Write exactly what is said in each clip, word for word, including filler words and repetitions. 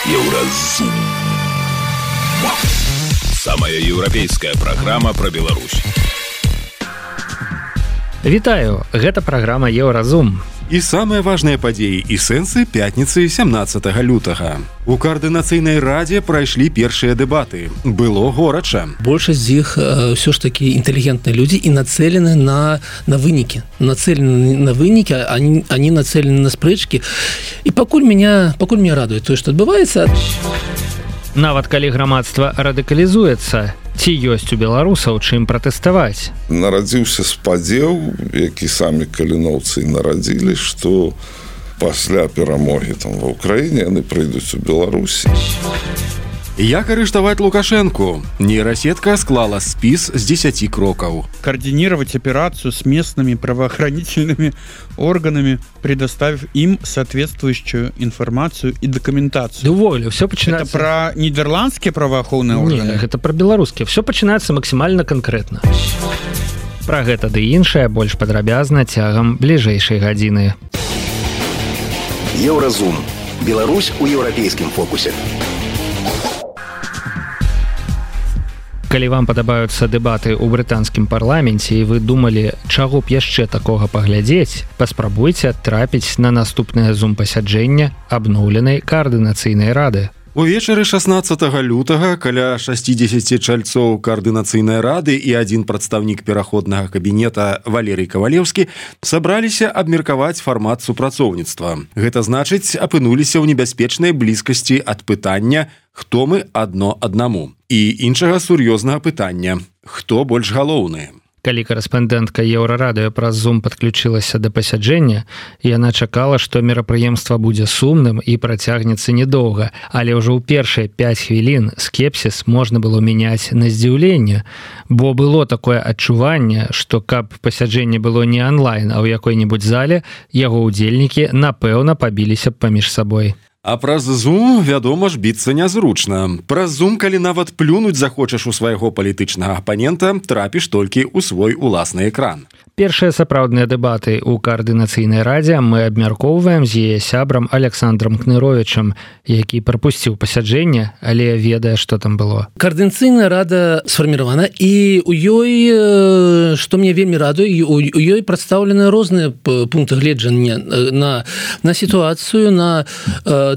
Еўразум. Самая еўрапейская праграма пра Беларусь. Вітаю, гэта праграма Еўразум. І самыя важныя падзеі і сэнсы пятніцы сямнаццатага лютага. У Каардынацыйнай радзе прайшлі першыя дэбаты. Было горача. Большасць з іх ўсё ж такі інтэлігентныя людзі і нацэлены на, на вынікі. Нацэлены на вынікі, они, они нацэлены на спрэчкі. І пакуль меня, пакуль меня радуе тое, што адбываецца... Нават калі грамадства радыкалізуецца, ці ёсць у беларусаў чым пратэставаць? Нарадзіўся спадзеў, які самі каліноўцы нарадзілі, што пасля перамогі там ва ўкраіне яны прыйдуць у Беларусі. Як арыштаваць Лукашенку? Нейросетка склала спіс з десяти крокаў. Координировать операцию с местными правоохранительными органами, предоставив им соответствующую информацию и документацию. Уволю, все начинается... Это про нидерландские правоохранительные органы? Нет, это про белорусские. Все начинается максимально конкретно. Про гэта ды іншае больш падрабязна цягам бліжэйшай гадзіны. Еўразум. Беларусь у еўрапейскім фокусе. Калі вам падабаюцца дэбаты ў брытанскім парламенце і вы думалі, чаго б яшчэ такога паглядзець, паспрабуйце трапіць на наступнае зум-пасяджэнне абноўленай Каардынацыйнай рады. Увечары шаснаццатага лютага каля шасцідзесяці чальцоў Каардынацыйнай рады і адзін прадстаўнік пераходнага кабінета Валерый Кавалеўскі сабраліся абмеркаваць фармат супрацоўніцтва. Гэта значыць, апынуліся ў небяспечнай блізкасці ад пытання «Хто мы адно аднаму?» і іншага сур'ёзнага пытання «Хто больш галоўны?». Калі корэспандэнтка Еўрарадыё праз Zoom падключылася да пасяджэння, яна чакала, што мерапрыемства будзе сумным і працягнецца недоўга, але ўжо ў першыя пяць хвілін скепсіс можна было мяняць на здзіўленне, бо было такое адчуванне, што каб пасяджэнне было не онлайн, а ў якой-небудзь зале, яго ўдзельнікі, напэўна, пабіліся б паміж сабой. А праз Zoom, вядома ж, біцца нязручна. Праз Zoom, калі нават плюнуць захочаш у свайго палітычнага апанента, трапіш толькі ў свой уласны экран. Першыя сапраўдныя дэбаты ў Каардынацыйнай радзе мы абмяркоўваем з яе сябрам Александром Кныровічам, які прапусціў пасяджэнне, але ведае, што там было. Каардынацыйная рада сфарміравана, і у ёй, што мне вельмі радуе, у ёй прадстаўлены розныя пункты гледжання на, на сітуацыю, на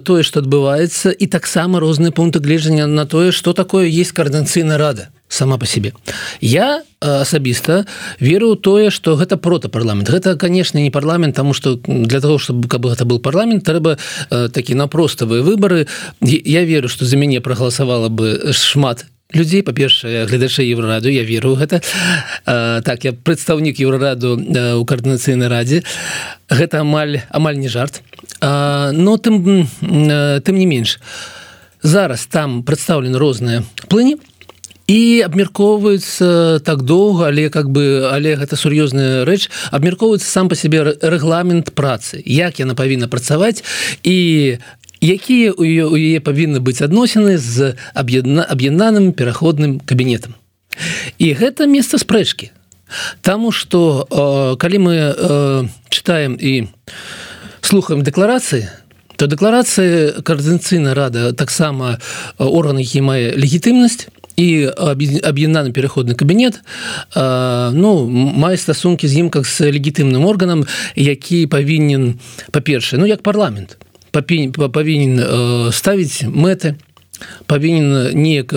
тое, што адбываецца, і таксама розныя пункты гледжання на тое, што такое есть Каардынацыйная рада сама по себе. Я асабіста веру ў тое, што гэта протапарламент. Гэта, конечно, не парламент, таму што для того, чтобы каб гэта был парламент, трэба такі напроставыя выбары. Я веру, што за мяне прагаласавала бы шмат людзей, па-першае, гледачэй Еўрараду, я веру ў гэта. Так, я прадстаўнік Еўрараду ў Каардынацыйнай радзе. Гэта амаль, амаль не жарт. Но тым, тым не менш, зараз там прадстаўлены розныя плыні, і абмяркоўваецца так доўга, але как бы, але гэта сур'ёзная рэч, абмяркоўваецца сам па сябе рэгламент працы, як яна павінна працаваць і якія у яе, у яе павінны быць адносіны з аб'ядна, аб'яднаным пераходным кабінетам. І гэта месца спрэчкі. Таму што э, калі мы э, чытаем і слухаем дэкларацыі, то дэкларацыі Каардынацыйная рада таксама орган, які мае легітымнасць, і аб'яднаны пераходны кабінет ну, мае стасункі з ім как з легітымным органам, які павінен, па-першае, ну як парламент, павінен ставіць мэты, павінен неяк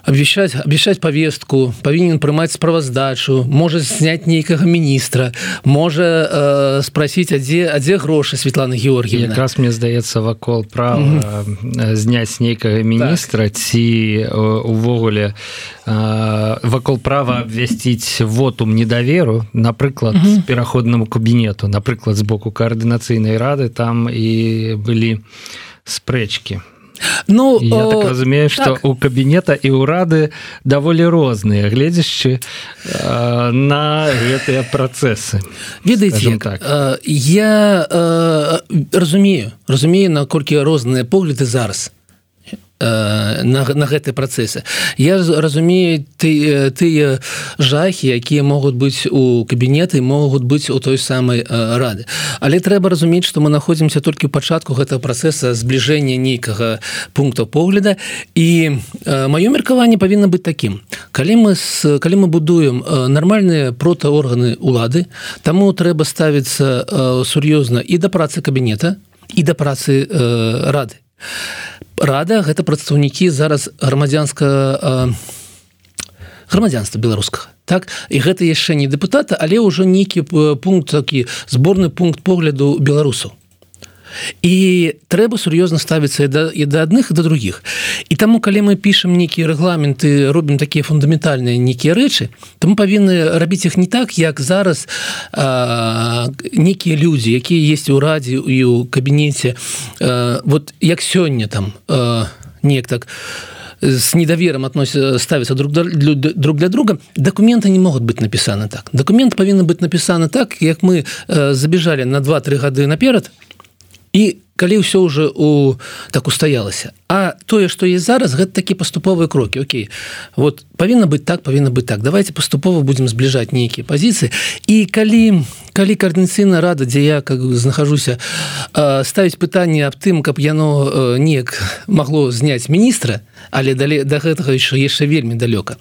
абвяшчаць, абвяшчаць павестку, павінен прымаць справаздачу, можа зняць нейкага міністра, можа э, спрасіць, а дзе, а дзе грошы Светлана Георгіевна. Якраз мне здаецца вакол права mm-hmm. зняць нейкага міністра так. Ці увогуле э, вакол права абвясціць вотум недаверу, напрыклад, mm-hmm. пераходнаму кабінету, напрыклад, з боку Каардынацыйнай рады, там і былі спрэчкі. Ну, я о, так разумею, што так. У кабінета і ўрады даволі розныя, гледзячы э, на гэтыя працэсы. Ведаеце, так. э, я э, разумею, разумею, наколькі розныя погляды зараз. на, на гэтыя працэсы. Я разумею тыя ты жахі, якія могуць быць у кабінеты, могуць быць у той самай рады. Але трэба разумець, што мы находзімся толькі ў пачатку гэтага працэса збліжэння нейкага пункта погляда, і маё меркаванне павінна быць такім. Калі мы, с, калі мы будуем нармальныя протаорганы ўлады, таму трэба ставіцца сур'ёзна і да працы кабінета, і да працы рады. Рада гэта прадстаўнікі зараз грамадзянска грамадзянства беларускага, так, і гэта яшчэ не дэпутата, але ўжо нейкі пункт, такі зборны пункт погляду беларусаў. І трэба сур'ёзна ставіцца і да, і да адных, і да другіх. І таму, калі мы пішам нейкія рэгламенты, робім такія фундаментальныя нейкія рэчы, то мы павінны рабіць іх не так, як зараз а, нейкія людзі, якія есть у радзе і ў кабінеце, а, вот як сёння там а, неяк так с недовером относятся, ставятся друг для, друг для друга, документы не могут быть написаны так. Документы повинны быть написаны так, как мы а, забежали на два-тры гады наперад, і калі ўсё ўжо у так устаялася. А тое, што есть зараз, гэта такія паступовыя крокі. Окей, вот павінна быць так, павінна быць так. Давайте паступова будзем збліжаць нейкія пазіцыі. І калі, калі коордынацыйная рада, дзе я как знахажуся, ставіць пытанне аб тым, каб яно неяк магло зняць міністра, але да гэтага яшчэ, яшчэ вельмі далёка,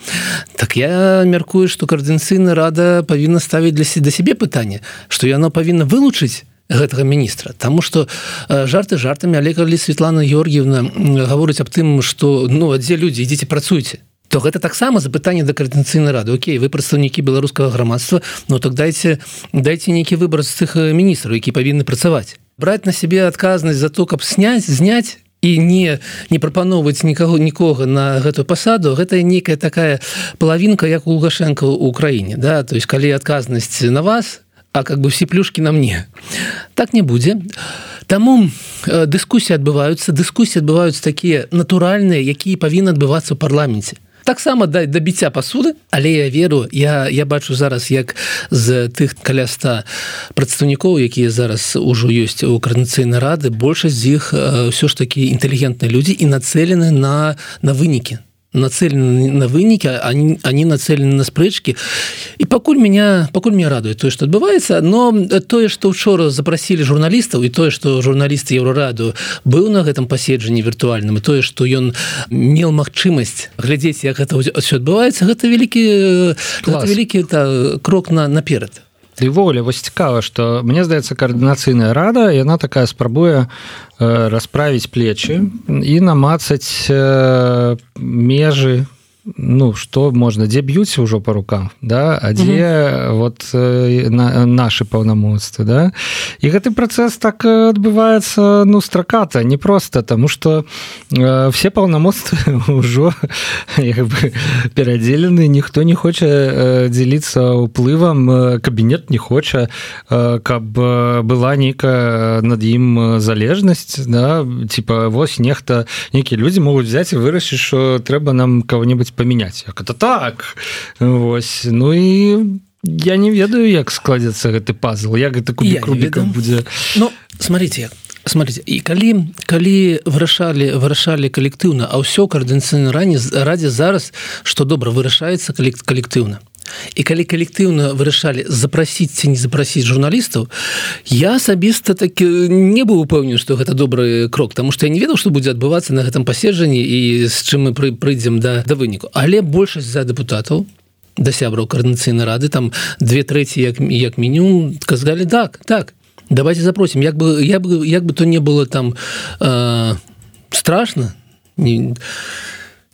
так я мяркую, што коордынацыйная рада павінна ставіць для да сябе пытанне, што яно павінна вылучыць гэтага міністра, таму што жарты жартамі, але калі Светлана Георгіевна гаворыць аб тым, што ну дзе людзі, ідзіце працуйце, то гэта таксама запытанне да коордынацыйнай рады. Окей, вы прадстаўнікі беларускага грамадства, ну так дайце дайце нейкі выбар з цых міністраў, які павінны працаваць. Браць на сябе адказнасць за то, каб сняць, зняць і не не прапаноўваць нікаго нікога на гэтую пасаду, гэта нейкая такая палавінка, як у Лукашенка ў краіне, да, то есть калі адказнасць на вас, а как бы все плюшки на мне. Так не будзе. Таму э, дыскусіі адбываюцца, дыскусіі адбываюцца такія натуральныя, якія павінны адбывацца ў парламенце. Таксама да, да біцця пасуды, але я веру, я, я бачу зараз, як з тых каля ста прадстаўнікоў, якія зараз ужо ёсць у коордынацыйнай рады, большасць з іх э, ўсё ж такі інтэлігентныя людзі і нацэлены на, на вынікі. Нацелены на вынікі, они, они нацелены на спрэчкі. І пакуль меня, пакуль меня радует тое, што адбываецца, но тое, што ўчора запрасілі журналістаў, і тое, што журналіст Еўрараду быў на гэтым паседжанні віртуальным, і тое, што ён меў магчымасць глядзець, як гэта ўсё адбываецца, гэта вялікі, гэта вялікі та, крок на, наперад. І ввогуле, вось цікава, што мне здаецца, коордынацыйная рада, яна такая спрабуе э, расправіць плечы і намацаць э, межы, ну, што можна, дзе б'юць ўжо па рукам, да, а дзе mm-hmm. вот э, на, нашы паўнамоцтвы, да. І гэты працэс так адбываецца, ну, страката, не проста, таму што э, все паўнамоцтвы ўжо як бы перадзелены, ніхто не хоча э, дзеліцца ўплывам, э, кабінет не хоча, э, каб была нейкая над ім залежнасць, да, типа, вось нехта, нейкія людзі могуць взяць і вырашыць, што трэба нам кого-нибудь поменять. Як это так? Вось. Ну і я не ведаю, як складзецца гэты пазл, як гэта кубік Рубіка будзе. Ну, смотрите, смотрите, і калі, калі вырашалі, вырашалі калектыўна, а ўсё коордынацыйнай радзе зараз, што добра, вырашаецца калектыўна. І калі калектыўна вырашалі запрасіць ці не запрасіць журналістаў, я асабіста так не быў упэўнены, што гэта добры крок, таму што я не ведаў, што будзе адбывацца на гэтым паседжанні і з чым мы прыйдзем да, да выніку. Але большасць за дэпутатаў, да сябраў коордынацыйнай рады, там две трэці як, як мінімум, казалі, так, так, давайте запросім. Як бы, як бы, як бы то не было там э, страшна, не...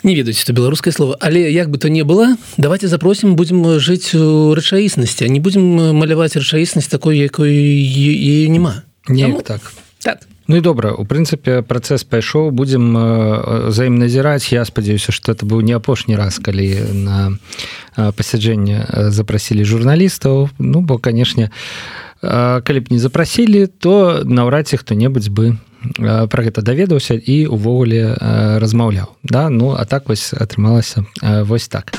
Не ведаю, што беларускае слово, але як бы то не было, давайте запросім, будзем жыць у рэчаіснасці, а не будзем маляваць рэчаіснасць такой, якой яе няма. Неяк так. Так. Ну і добра, у прынцыпе, працэс пайшоў, будзем взаім назіраць. Я спадзяюся, што это быў не апошні раз, калі на пасяджэнне запрасілі журналістаў. Ну, бо, канешне, калі б не запрасілі, то наўрад ці хто-небудзь бы пра гэта даведаўся і увогуле размаўляў, да? Ну а так вось атрымалася вось так.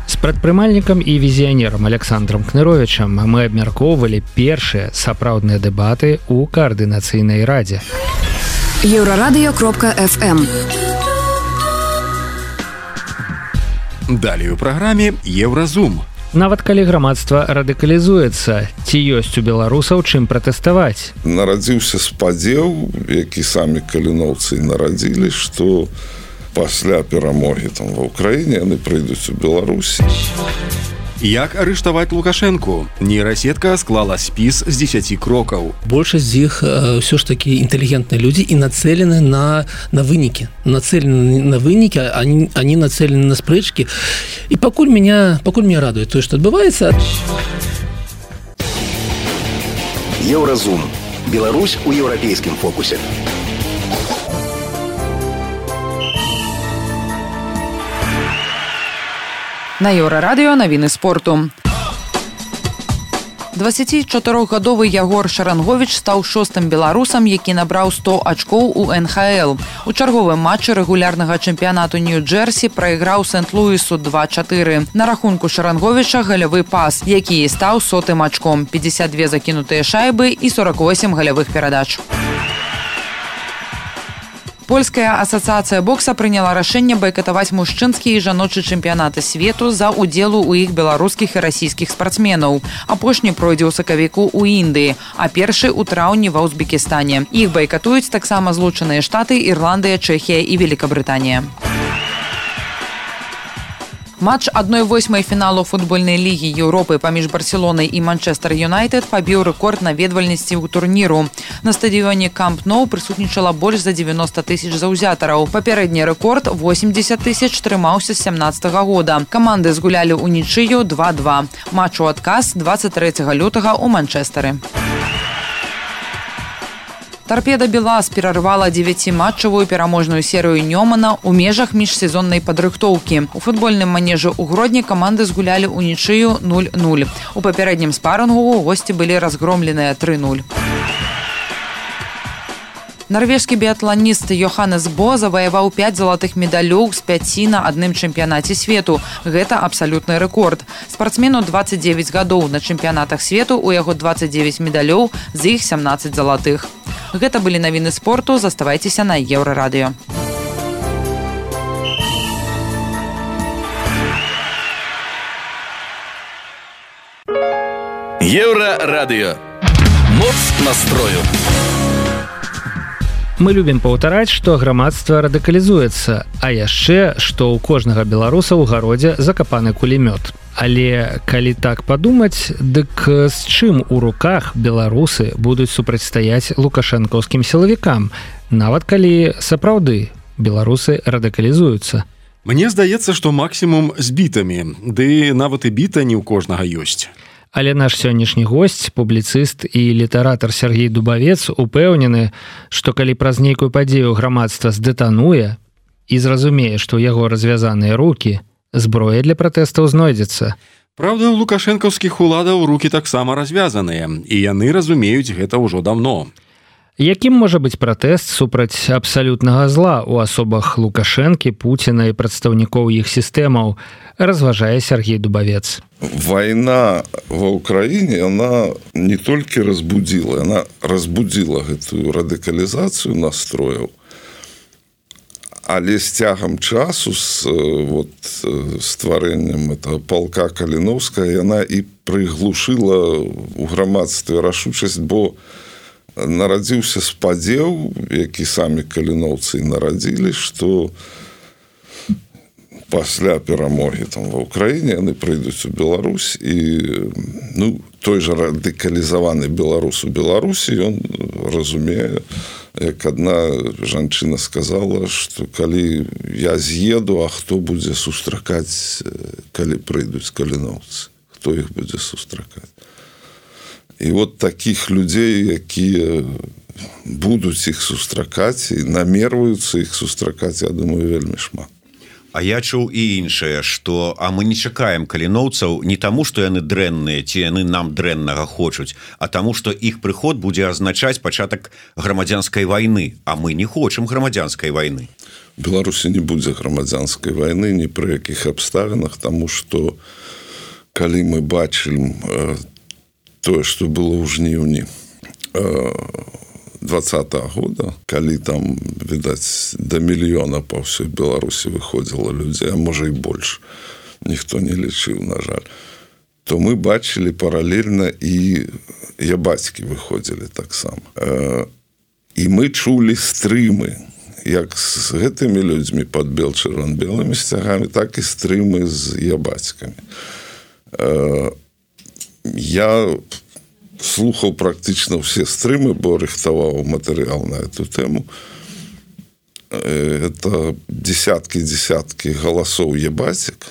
З прадпрымальнікам і візіянерам Александром Кныровічам мы абмяркоўвалі першыя сапраўдныя дэбаты ў коордынацыйнай радзе. еўрарадыё кропка эф эм. Далей у праграме Еўразум. Нават калі грамадства радыкалізуецца, ці ёсць у беларусаў чым пратэставаць? Нарадзіўся спадзеў, які самі каліноўцы нарадзілі, што пасля перамогі там ва ўкраіне яны прыйдуць у Беларусь. Як арыштаваць Лукашэнку? Нейрасетка склала спіс з дзесяці крокаў. Большасць з іх ўсё ж такі інтэлігентныя людзі і нацэлены на, на вынікі. Нацэлены на вынікі, они, они нацэлены на спрэчкі. І пакуль меня, пакуль меня радуе тое, што адбываецца. Еўразум. Беларусь у еўрапейскім фокусе. На Еўрарадыё навіны спорту. дваццацічатырохгадовы Ягор Шаранговіч стаў шостым беларусам, які набраў сто ачкоў у эн ха эл. У чарговым матчы рэгулярнага чэмпіянату Нью-Джерсі прайграў Сент-Луісу два чатыры. На рахунку Шаранговіча галявы пас, які стаў сотым ачком, пятьдесят две закінутыя шайбы і сорок восемь галявых перадач. Польская асацыяцыя бокса прыняла рашэнне байкатаваць мужчынскі і жаночы чэмпіянаты свету за ўдзелу ў іх беларускіх і расійскіх спартсменаў. Апошні пройдзе ў сакавіку ў Індыі, а першы ў траўні ва Узбекістане. Іх байкатуюць таксама Злучаныя Штаты, Ірландыя, Чэхія і Великабрытанія. Матч адной восьмай фіналу футбольнай лігі Еўропы паміж Барселонай і Манчестер Юнайтед пабіў рэкорд наведвальнасці ў турніру. На стадыёне Камп Nou прысутнічала больш за девяносто тысяч заўзятараў. Папярэдні рэкорд восемьдесят тысяч трымаўся з сямнаццатага года. Каманды згулялі ў нічыю два два. Матч у адказ двадцать трэцяга лютага ў Манчестары. Торпеда Белаз перарвала дзевяціматчавую пераможную серыю Нёмана ў межах міжсезоннай падрыхтоўкі. У футбольным манежы ў Гродні каманды згулялі ў нічыю нуль нуль. У папярэднім спарынгу госці былі разгромленыя тры нуль. Нарвежскі біятланіст Йоханнес Бо заваяваў пяць залатых медалёў з пяці на адным чэмпіянаце свету. Гэта абсалютны рэкорд. Спартсмену двадцать девять гадоў. На чэмпіянатах свету у яго двадцать девять медалёў, з іх семнадцать залатых. Гэта былі навіны спорту. Заставайцеся на Еўрарадыё. Еўрарадыё. Моц настрою. Мы любім паўтараць, што грамадства радыкалізуецца, а яшчэ, што ў кожнага беларуса ў гародзе закапаны кулемёт. Але калі так падумаць, дык з чым у руках беларусы будуць супрацьстаяць лукашэнкаўскім сілавікам, нават калі сапраўды беларусы радыкалізуюцца? Мне здаецца, што максімум з бітамі, ды нават і біта не ў кожнага ёсць. Але наш сённяшні госць, публіцыст і літаратар Сергей Дубавец упэўнены, што калі праз нейкую падзею грамадства здэтануе і зразумее, што ў яго развязаныя рукі, зброя для пратэстаў знойдзецца. Праўда, у лукашэнкаўскіх уладаў рукі таксама развязаныя, і яны разумеюць гэта ўжо даўно. Якім можа быць пратэст супраць абсалютнага зла ў асобах Лукашэнкі, Пуціна і прадстаўнікоў іх сістэмаў, разважае Сергей Дубавец. Вайна ва ўкраіне, она не толькі разбудзіла, она разбудзіла гэтую радыкалізацыю настрояў, але з цягам часу, з вот, стварэннем этого палка Каліноўскага, яна і прыглушыла ў грамадстве рашучасць, бо нарадзіўся спадзеў, які самі каліноўцы нарадзілі, што пасля перамогі там ва ўкраіне яны прыйдуць у Беларусь, і ну, той жа радыкалізаваны беларус у Беларусі, ён разумее, як адна жанчына сказала, што калі я з'еду, а хто будзе сустракаць, калі прыйдуць каліноўцы, хто іх будзе сустракаць. І вот такіх людзей, якія будуць іх сустракаць і намерваюцца іх сустракаць, я думаю, вельмі шмат. А я чуў і іншае, што а мы не чакаем каліноўцаў не таму, што яны дрэнныя, ці яны нам дрэннага хочуць, а таму, што іх прыход будзе азначаць пачатак грамадзянскай вайны, а мы не хочам грамадзянскай вайны. У Беларусі не будзе грамадзянскай вайны ні пры якіх абставінах, таму што калі мы бачым тое, што было ў жніўні двадцатого года, калі там, відаць, до мільёна па ўсёй Беларусі выходзіла людзей, а можа і больш, ніхто не лічыў, на жаль, то мы бачылі паралельна і ябацькі выходзілі таксама. І мы чулі стрымы, як з гэтымі людзьмі пад бел-чырвон-белымі сцягамі, так і стрымы з ябацькамі. Я слухаў практычна ўсе стрымы, бо рыхтаваў матэрыял на эту тэму. Это десяткі-десяткі галасоў ябацек.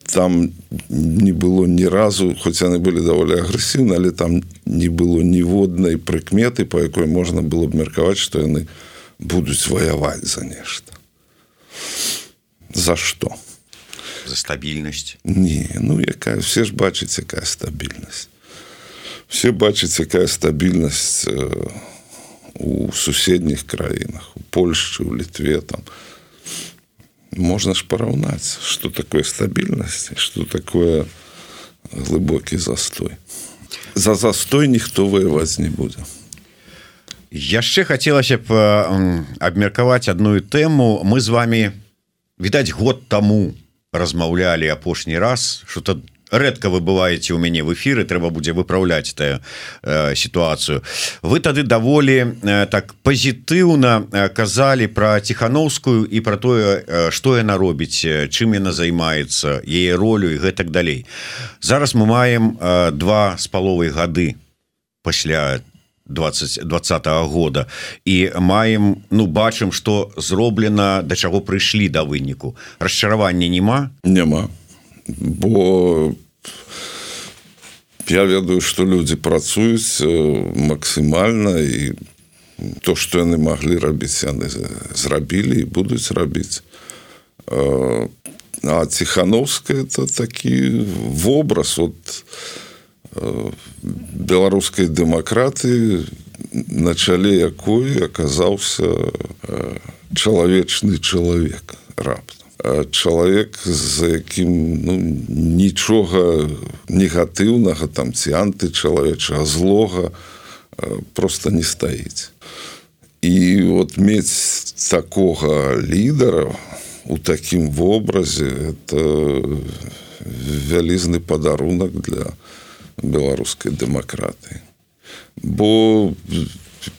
Там не было ні разу, хоць яны былі даволі агрэсіўны, але там не было ніводнай прыкметы, па якой можна было б меркаваць, што яны будуць ваяваць за нешта. За што? За стабільнасць? Не, ну якая, все ж бачаць, якая стабільнасць. Все бачаць, якая стабільнасць у суседніх краінах, у Польшчы, у Літве, там. Можна ж параўнаць, што такое стабільнасць, што такое глыбокі застой. За застой ніхто ваяваць не будзе. Яшчэ хацелася б абмеркаваць адную тэму. Мы з вами, відаць, год таму размаўлялі апошні раз, што-то рэдка вы бываеце ў мяне в эфіры, трэба будзе выпраўляць тая э, сітуацыю. Вы тады даволі э, так пазітыўна э, казалі пра Ціханаўскую і пра тое, э, што яна робіць, чым яна займаецца, яе ролю і гэтак далей. Зараз мы маем э, два з паловай гады пасля двадцатого года і маем, ну, бачым, што зроблена, да чаго прыйшлі да выніку. Расчаравання няма? Няма. Бо я ведаю, што людзі працуюць максімальна, і то, што яны маглі рабіць, яны зрабілі і будуць рабіць. А Ціханаўская — это такі вобраз от беларускай дэмакратыі, на чале якой аказаўся чалавечны чалавек раптам. Чалавек, за якім, ну, нічога негатыўнага там ці антычалавечага, злога просто не стаіць. І от мець такога лідара у такім вобразе — это вялізны падарунак для беларускай дэмакратыі. Бо,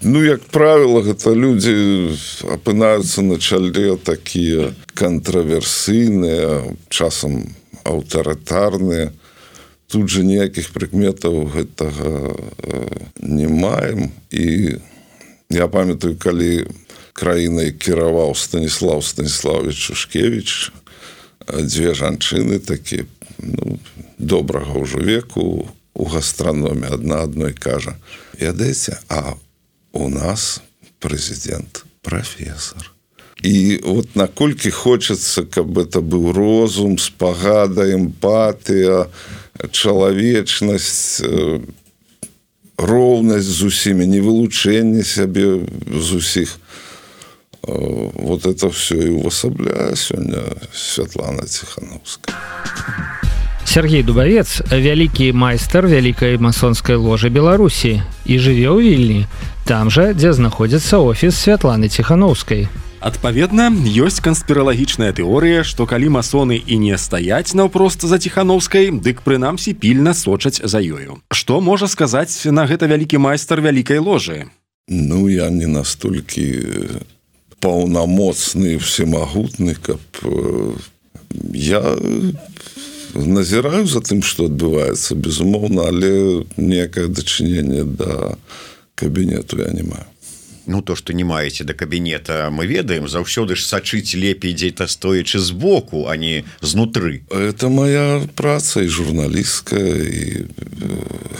ну, як правіла, гэта людзі апынаюцца на чале такія кантраверсійныя, часам аўтарытарныя. Тут жа ніякіх прыкметаў гэтага не маем. І я памятаю, калі краінай кіраваў Станіслаў Станіславович Шушкевіч, дзве жанчыны такія, ну, добрага ўжо веку у гастраноме, адна адной кажа: «Ведаеце, а у нас прэзідэнт прафесор». І от наколькі хочацца, каб это быў розум, спагада, эмпатыя, чалавечнасць, роўнасць з усімі, не вылучэнне сябе з усіх. Вот это все і увасабляе сёння Святлана Ціханаўская. Сергей Дубавец – вялікі майстар вялікай масонскай ложы Беларусі і жыве ў Вільні, там жа, дзе знаходзіцца офіс Святланы Ціханаўскай. Адпаведна, ёсць канспіралагічная тэорыя, што калі масоны і не стаяць наўпрост за Ціханаўскай, дык прынамсі пільна сочаць за ёю. Што можа сказаць на гэта вялікі майстар вялікай ложы? Ну, я не настолькі паўнамоцны, всемагутны, каб я назіраю за тым, што адбываецца, безумоўна, але ніякае дачыненне да кабінету я не маю. Ну, то, што не маеце да кабінета, мы ведаем, заўсёды ж сачыць лепей дзе-то стоячы збоку, а не знутры. Это моя праца, і журналістская, і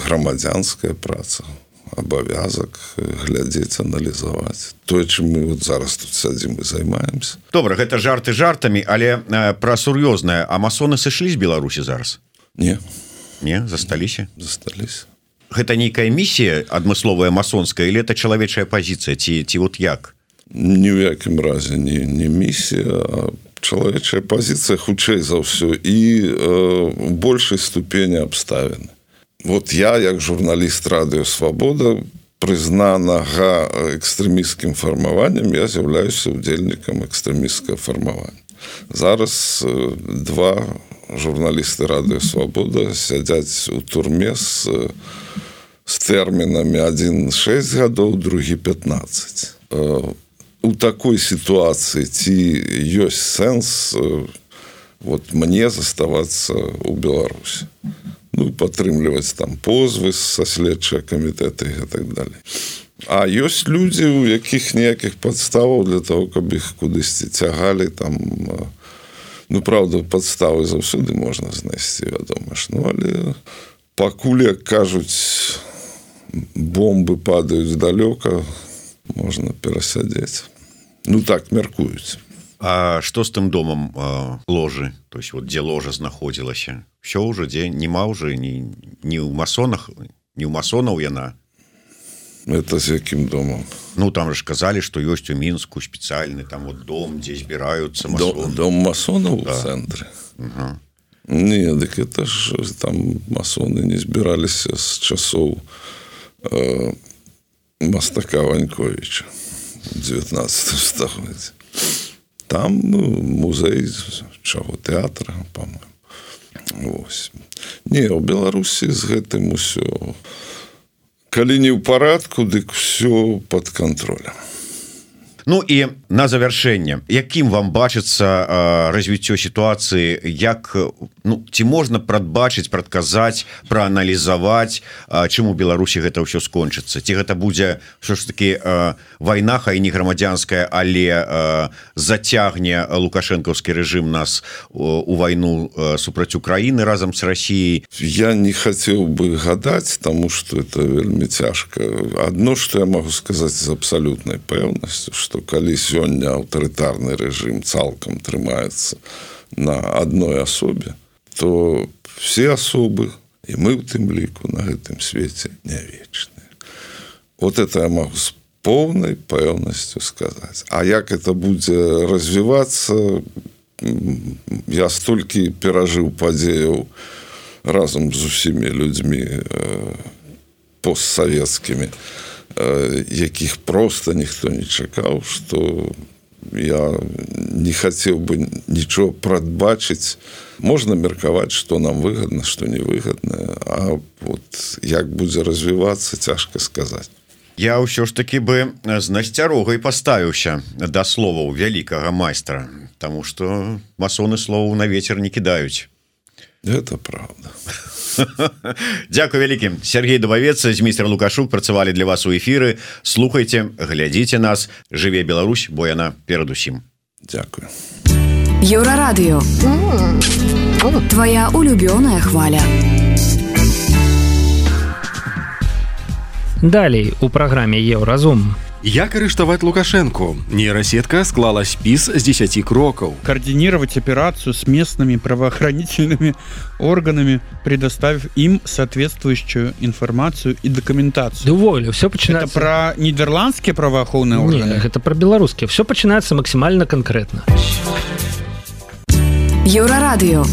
грамадзянская праца. Абавязак глядзець, аналізаваць. Тое, чым мы вот зараз тут сядзім і займаемся. Добра, гэта жарты жартамі, але э, пра сур'ёзнае. А масоны сышлі з Беларусі зараз? Не. Не? Засталіся? Засталіся. Гэта нейкая місія адмысловая масонская, или это чалавечая пазіцыя, ці, ці вот як? Ні ў якім разе не, не місія, а чалавечая пазіцыя хутчэй за ўсё і э, у большай ступені абставіны. Вот я, як журналіст Радыё Свабода, прызнанага экстрэмісцкім фармаваннем, я з'яўляюся удзельнікам экстрэмісцкага фармавання. Зараз два журналісты Радыё Свабода сядзяць у турме з, з тэрмінамі адзін шэсць гадоў, другі пятнаццаць. У такой сітуацыі ці ёсць сэнс вот мне заставацца ў Беларусі? Ну, падтрымліваць там позвы са следчыя камітэты і так далей. А ёсць людзі, у якіх ніякіх падставаў для того, каб іх кудысьці цягалі там, ну, правда, падставы заўсёды можна знайсці, вядома ж. Ну, але пакуль, як кажуць, бомбы падаюць далёка, можна перасядзець. Ну, так мяркуюць. А што з тым домам а, ложы? То есть, вот, дзе ложа знаходзілася? Все ўжо, дзе нема ўжо ні, ні ў масонах, ні ў масонаў яна? Это з якім домам? Ну, там ж казалі, што ёсць у Мінску спецыяльны там вот дом, дзе збіраюцца масоны. Дом, дом масонаў да. У цэнтры? Угу. Не, дык это ж там масоны не збіраліся з часоў э, мастака Ваньковіча у дзевятнаццатым стагоддзі. Там ну, музей чаго тэатра, па-моему. Вось. Не, у Беларусі з гэтым усё. Калі не ў парадку, дык усё пад кантролем. Ну і на завяршэнне, якім вам бачыцца развіццё сітуацыі, як, ну, ці можна прадбачыць, прадказаць, прааналізаваць, чым у Беларусі гэта ўсё скончыцца? Ці гэта будзе ўсё ж такі вайна, хай не грамадзянская, але зацягне лукашэнкаўскі рэжым нас у вайну супраць Украіны разам з Расіяй? Я не хацеў бы гадаць, таму што это вельмі цяжка. Адно, што я магу сказаць з абсалютнай пэўнасцю, што калі сёння аўтарытарны рэжым цалкам трымаецца на адной асобе, то все асобы, і мы ў тым ліку на гэтым свеце не вечныя. Вот это я магу з поўнай пэўнасцю сказаць. А як это будзе развівацца, я столькі перажыў падзеяў разам з усімі людзьмі постсавецкімі, якіх проста ніхто не чакаў, што я не хацеў бы нічого прадбачыць. Можна меркаваць, што нам выгадна, што не выгадна, а вот як будзе развівацца, цяжка сказаць. Я ўсё ж такі бы з насцярогай паставіўся да словаў вялікага майстра, таму што масоны словаў на вецер не кідаюць. Это правда. Дзякуй вялікім. Сергей Дубавец, Зміцер Лукашук працавалі для вас у эфіры. Слухайце, глядзіце нас. Жыве Беларусь, бо яна перадусім. Дзякуй. Еўрарадыё. Твоя улюбёная хваля. Далей у праграме Еўразум. Як арыштаваць Лукашенко? Нейросетка склала спіс з дзесяці крокаў. Координировать операцию с местными правоохранительными органами, предоставив им соответствующую информацию и документацию. Уволю, все начинается... Это про нидерландские правоохранительные органы? Нет, это про белорусские. Все начинается максимально конкретно. Еўрарадыё.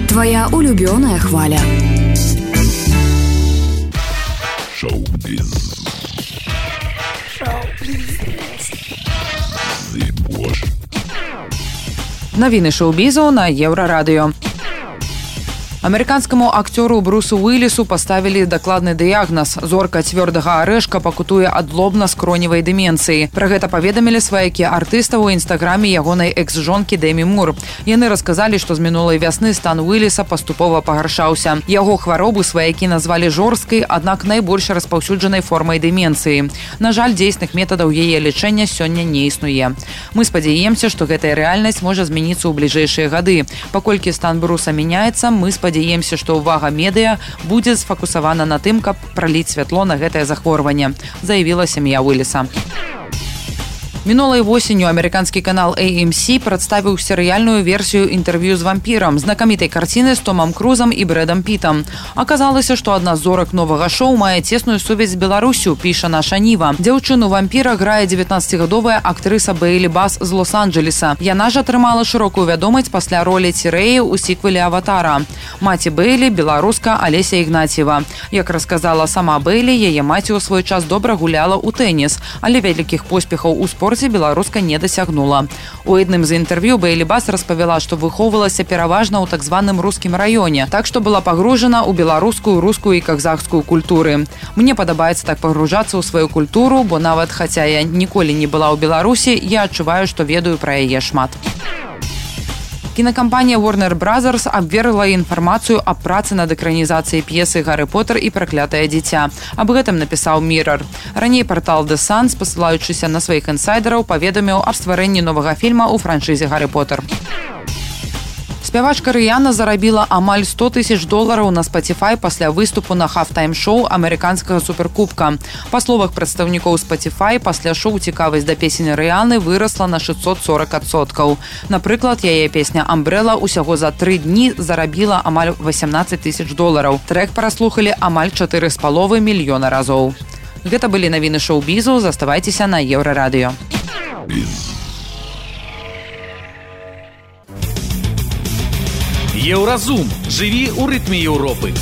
Твоя улюбёная хваля. Шоу-биз. Навіны шоу-бізу на Еўрарадыё. Амерыканскаму акцёру Брусу Уиллису паставілі дакладны дыягназ. Зорка цвёрдага арэшка пакутуе ад лобна-скроневай дэмінцыі. Пра гэта паведамілі сваякі артыста ў інстаграме ягонай экс-жонкі Дэмі Мур. Яны расказалі, што з мінулай вясны стан Уиллиса паступова пагаршаўся. Яго хваробу сваякі назвалі жорсткай, аднак найбольш распаўсюджанай формай дэмінцыі. На жаль, дзейсных метадаў яе лячэння сёння не існуе. Мы спадзяемся, што гэтая рэальнасць можа змяніцца ў бліжэйшыя гады. Паколькі стан Бруса мяняецца, мы спадзяемся Спадзяемся, што ўвага медыа будзе сфокусавана на тым, каб праліць святло на гэтае захворванне, заявіла сям'я Уиллиса. Мінулай восенню амерыканскі канал эй эм си прадставіў серыяльную версію інтэрв'ю з вампірам, знакамітай карціны з Томам Крузам і Брэдам Пітам. Аказалася, што адна з зорак новага шоу мае цесную сувязь з Беларусю, піша наша Ніва. Дзяўчыну-вампіра грае дзевятнаццацігадовая актрыса Бейлі Бас з Лос-Анджелеса. Яна ж атрымала шырокую вядомасць пасля ролі Цірэі ў сіквеле «Аватара». Маці Бейлі – беларуска Алеся Ігнатьева. Як расказала сама Бейлі, яе маці ў свой час добра гуляла ў тэніс, але вялікіх поспехаў у спорце беларуска не дасягнула. У адным з інтэрв'ю Бейлі Бас распавяла, што выхоўвалася пераважна ў так званым рускім раёне, так што была пагружана ў беларускую, рускую і казахскую культуры. Мне падабаецца так пагружацца ў сваю культуру, бо нават хаця я ніколі не была ў Беларусі, я адчуваю, што ведаю пра яе шмат. Кінакампанія Warner Brothers абвергла інфармацыю аб працы над экранізацыяй п'есы «Гаррі Поттер і праклятае дзіця». Аб гэтым напісаў Mirror. Раней партал The Sun, спасылаючыся на сваіх інсайдераў, паведаміў аб стварэнні новага фільма ў франшызе «Гаррі Поттер». Спявачка Рыяна зарабіла амаль сто тысяч долараў на Spotify пасля выступу на хафтайм-шоу амерыканскага суперкубка. Па словах прадстаўнікоў Spotify, пасля шоу цікавасць да песень Рыяны вырасла на шэсцьсот сорок адсоткаў. Напрыклад, яе песня «Umbrella» усяго за тры дні зарабіла амаль васямнаццаць тысяч долараў. Трэк праслухалі амаль чатыры з паловай мільёна разоў. Гэта былі навіны шоу-бізу, заставайцеся на Еўрарадыё. Еўразум. Жыві ў рытме Еўропы.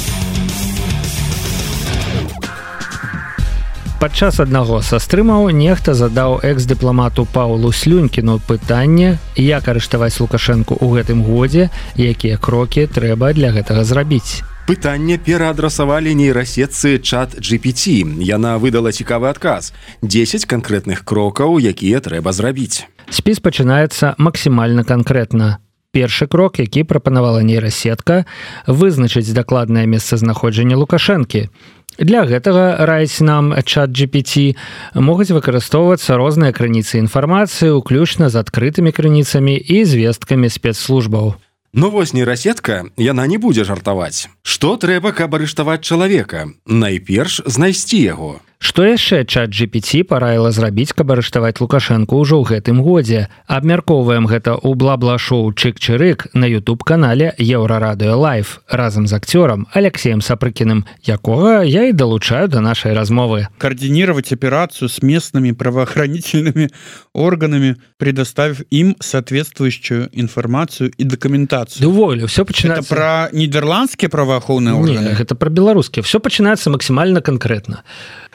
Падчас аднаго са стрымаў нехта задаў экс-дыпламату Паўлу Слюнькіну пытанне, як арыштаваць Лукашэнку ў гэтым годзе, якія крокі трэба для гэтага зрабіць. Пытанне пераадрасавалі нейрасетцы чат джи пі ти. Яна выдала цікавы адказ. дзесяць канкрэтных крокаў, якія трэба зрабіць. Спіс пачынаецца максімальна канкрэтна. Першы крок, які прапанавала нейрасетка, вызначыць дакладнае месцазнаходжанне Лукашэнкі. Для гэтага, раяць нам чат джи пі ти, могуць выкарыстоўвацца розныя крыніцы інфармацыі, уключна з адкрытымі крыніцамі і звесткамі спецслужбаў. Ну вось нейрасетка, яна не будзе жартаваць. Што трэба, каб арыштаваць чалавека? Найперш знайсці яго. Што яшчэ чат джи пі ти параіла зрабіць, каб арыштаваць Лукашэнку ўжо ў гэтым годзе? Абмяркоўваем гэта ў бла-бла-шоу «Чык-чырык» на ютуб-канале «Еўрарадыё Лайв» разам з акцёрам Алексеем Сапрыкіным, якога я і далучаю да нашай размовы. Координировать операцию с местными правоохранительными органами, предоставив им соответствующую информацию и документацию. Уволю, все починается... Это про нидерландские правоохранительные органы? Нет, это про белорусские. Все починается максимально конкретно.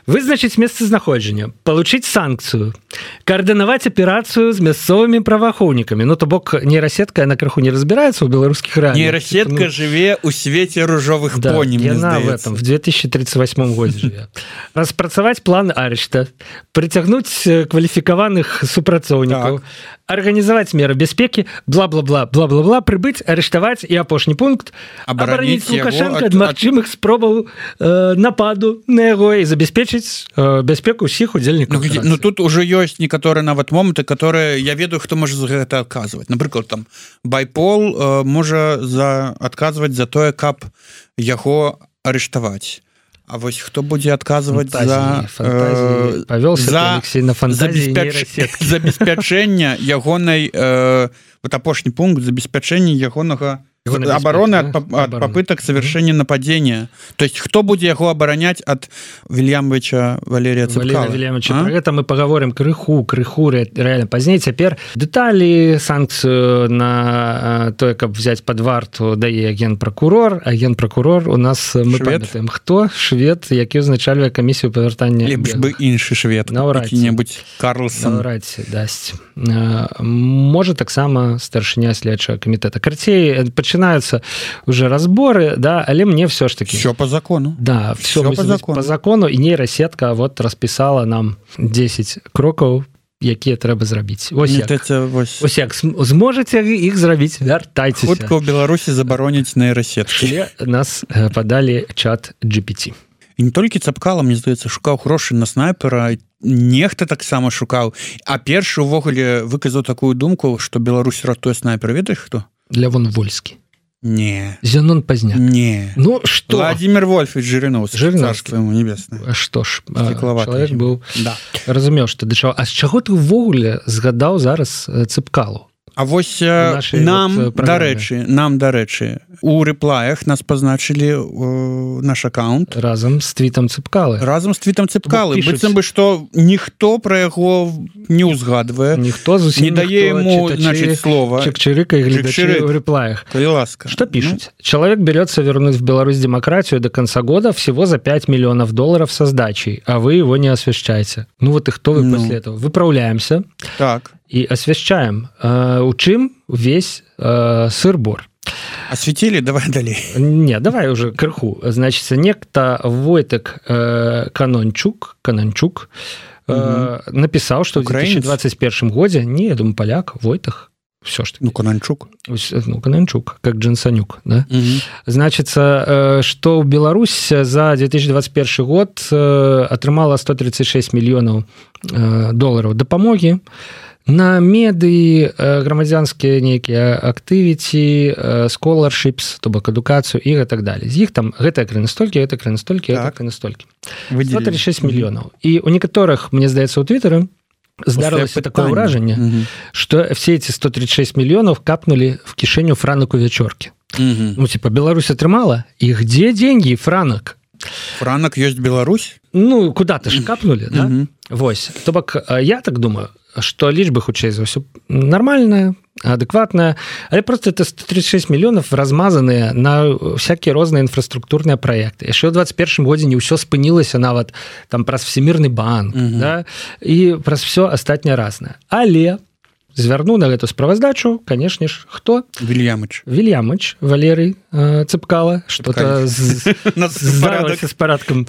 Вызначить месцазнаходжання, получить санкцию, координаваць аперацию с мясцовыми правоохранителями. Ну, то бок нейрасетка, на крыху не разбирается у белорусских реалиях. Нейрасетка ну... живе у свете ружовых да, пони, мне яна здаецца. в этом, в две тысячи тридцать восьмом году живе. Распрацаваць план арышта, притягнуть квалификованных супрацоўнікаў, организовать меры бяспеки, бла-бла-бла, бла-бла-бла, прибыть, арыштаваць и апошні пункт абараніць Лукашенко ад магчымых спробаў э, нападу на яго і забяспечыць э, бяспеку ўсіх удзельнікаў. Ну, ну тут уже ёсць некаторыя нават моманты, которые я ведаю, хто можа за гэта адказваць. Напрыклад, там Байпол э, можа за адказваць за тое, каб яго арыштаваць. А вось хто будзе адказваць за фантазии, э, за, на забеспяч... забеспячэнне ягонай э, вот апошні пункт забеспячэння ягонага обороны от, да? от попыток совершения нападения. То есть кто будет его оборонять от Вильямовича Валерия Цепкала? Вильямовича. А? Про это мы поговорим крыху, крыху реально позднее. Теперь детали, санкцию на то, как взять под варту, дае генпрокурор. А генпрокурор у нас, мы памятаем, кто? Швед, який узначальвае камісію павяртання. Лепш бы іншы швед, які-небудзь Карлсон. Наўрадці дасць. Можа таксама старшыня следчага камітэта. Карцей, начинаются уже разборы, да, але мне все ж таки... Все по закону. Да, все, все по закону. по закону, и нейросетка вот расписала нам десять кроков, якія трэба зрабіць. Ось як. Это, вось... Ось як. Зможаце іх зрабіць, вяртайцеся. Хутка ў Беларусі забароняць нейрасеткі. Нас падалі чат джи пі ти. І не толькі Цапкала, мне здаецца, шукаў грошы на снайпера, нехта таксама шукаў. А першы ўвогуле выказаў такую думку, што Беларусь ратуе снайпера. Ведаеш хто? Лявон Вольскі. Не. Зенон Позняк. Не. Ну, что? Владимир Вольфович Жириновский. Жириновский. Царство ему небесное. А что ж, человек был... Да. Разумеў, што да чаго. А з чаго ты ўвогуле згадаў зараз Цыпкалу? А вось нам, вот дарэчы, нам, дарэчы, у рэплаях нас пазначылі э, наш аккаунт. Разам з твітам Цыпкалы. Разам з твітам Цыпкалы. Быццам бы, што ніхто пра яго не ўзгадвае. Ніхто зусім не дае яму, значит, слова. Чик-чирика и глядачи в реплаях. Коли ласка. Что пишут? Ну? Человек берется вернуть в Беларусь демократию до конца года всего за пять миллионов долларов со сдачей, а вы его не освещаете. Ну вот и кто вы ну. после этого? Выправляемся. Так. И освещаем. Э, учим весь э, сыр-бор. Осветили? Давай далее. Не, давай уже крыху. Значит, некто Войтек э, Канончук, Канончук э, угу. написал, что Украинец? В две тысячи двадцать первом году, не, я думаю, поляк, Войтек, все ж таки. Ну, Канончук. Ну, Канончук, как Джансонюк, да? Угу. Значит, э, что Беларусь за две тысячи двадцать первый год э, отрымала сто тридцать шесть миллионов э, долларов допомоги на меды, грамадзянскія нейкія актывіці, scholarships, то бок адукацыю і так далее. З іх там гэта крыны столькі, гэта крыны столькі, гэта крыны столькі. сто тридцать шесть мільёнаў. І у некаторых, мне здаецца, у Твиттере здарылася такое ўражанне, угу. что все эти сто тридцать шесть миллионов капнули в кишеню Франаку Вячорки. Угу. Ну, типа, Беларусь отрымала, и где деньги, Франак? Франак есть Беларусь? Ну, куда-то ж капнули, да? Угу. Вось. То бок, я так думаю, что лічба хутчэй за ўсё нормальная, адэкватная, але просто это сто тридцать шесть миллионов размазаныя на всякие розныя інфраструктурныя праекты. Яшчэ ў двадцать первом годзе не ўсё спынілася нават там праз Всемірны банк, угу. да, і праз все астатняе разнае. Але звярнуў на гэту справаздачу, канешне ж, хто? Вільямыч. Вільямыч, Валерый э, Цыпкала, что-то здарылася з парадкам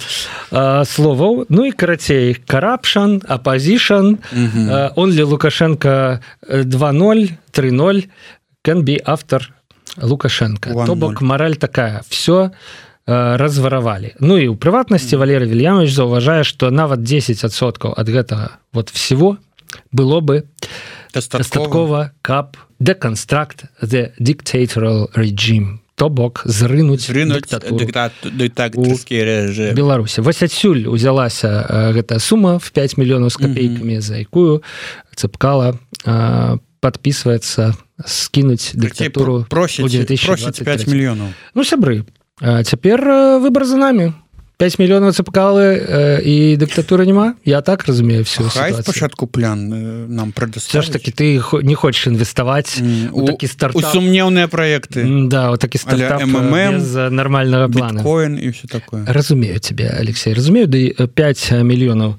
э, словаў. Ну і карацей, corruption, opposition, э, only Лукашенко два ноль, три ноль, can be after Лукашенко. То бок мораль такая, все э, разворовали. Ну і ў прыватнасці Валерый Вільямыч заўважае, што нават десять адсоткаў ад гэтага вот всего было бы дастаткова, каб deconstruct the dictatorial regime, то бок зрынуць дыктатуру ў Беларусі. Вось адсюль узялася гэтая сума в пять миллионов с копейками, за якую Цыпкала подписывается скинуть диктатуру у две тысячи двадцать третьем. пять миллионов. Ну, сябры, цяпер выбор за нами. пять миллионов Цыпкалы э, и диктатуры нема. Я так разумею всю Хай ситуацию. Спочатку план э, нам предоставить. Все ж таки ты не хочешь инвестовать mm. у, у такие стартапы. У сумневные проекты. Да, вот такие стартапы без нормального плана. Биткоин и все такое. Разумею тебя, Алексей. Разумею, да и пять миллионов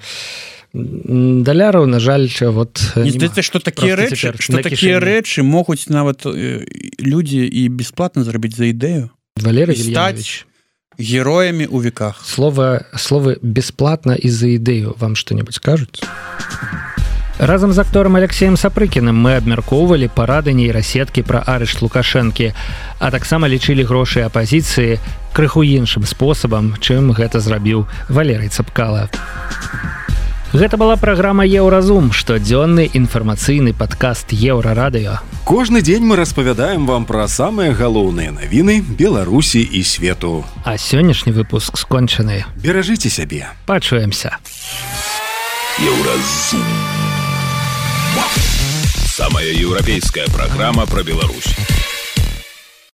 даляраў, на жаль, вот не здаецца, што такія рэчы, што такія рэчы могуць нават людзі і бесплатна зрабіць за ідэю. Валерий Вильямович. Героями у веках. Слово, слово «бесплатно» из-за идею вам что-нибудь скажут? Разом з актором Алексеем Сапрыкіным мы абмяркоўвалі парады нейрасеткі пра арышт Лукашэнкі, а таксама лічылі грошы апазіцыі крыху іншым спосабам, чым гэта зрабіў Валерый Цыпкала. Гэта была праграма «Еўразум», штодзённы інфармацыйны падкаст «Еўрарадыё». Кожны дзень мы распавядаем вам пра самыя галоўныя навіны Беларусі і свету. А сённяшні выпуск скончаны. Беражыце сябе. Пачуемся. «Еўразум». Самая еўрапейская праграма пра Беларусь.